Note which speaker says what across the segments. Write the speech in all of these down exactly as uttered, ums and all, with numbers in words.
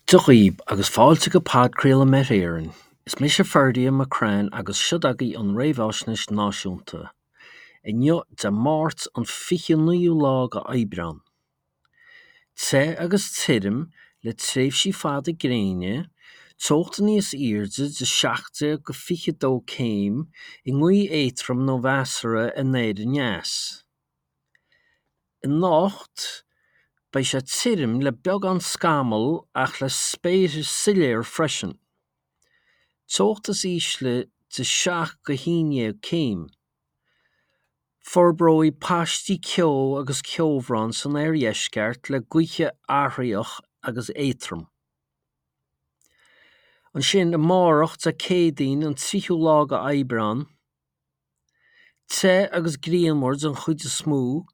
Speaker 1: Dia dhaoibh agus fáilte go podchraoladh Met Éireann. Is mise Ferdia McCrann agus seo agaibh an réamhaisnéis náisiúnta. Inniu Dé Máirt an fiche naoú lá de Aibreán. Te agus tirim le tréimhsí fada gréine, teocht níos airde de seacht déag go fiche dó céim i ngaoth éadrom nó mheasartha anoir aneas. Anocht beidh sé tirim le beagán scamall ach le spéir soiléir freisin. Teocht is ísle de seacht go haon dhéag céim. Forbróidh paistí ceo agus ceobhrán san oirdheisceart le gaoth athraitheach agus éadrom. Ansin amárach Dé Céadaoin an tríú lá de Aibreán, te agus grianmhar den chuid is mó,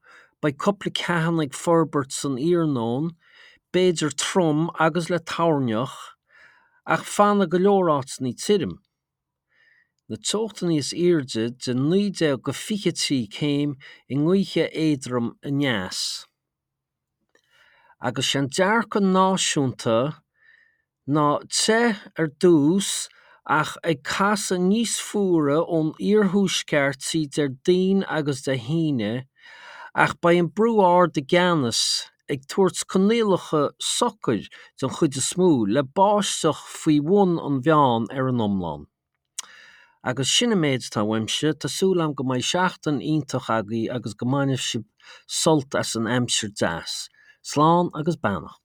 Speaker 1: beidh cúpla ceathanna ag forbairt san iarnóin, b'fhéidir trom agus le toirneach, ach fanfaidh go leor áiteanna tirim. Na teochtaí níos airde de naoi déag go fiche trí céim i ngaoth éadrom aneas. Agus sé an dearcadh náisiúnta ná te ar dtús ach ag casadh níos fuaire ón iarthuaisceart trí Déardaoin agus Dé hAoine, ach beidh an brú ard i gceannas ag tabhairt coinníollacha socair den chuid is mó le báisteach faoi bhun an mheáin ar an iomlán. Agus sin an méid atá uaimse, tá súil agam go mbeidh seachtain iontach agaibh agus go mbainfidh sibh sult as an aimsir deas. Slán agus beannacht.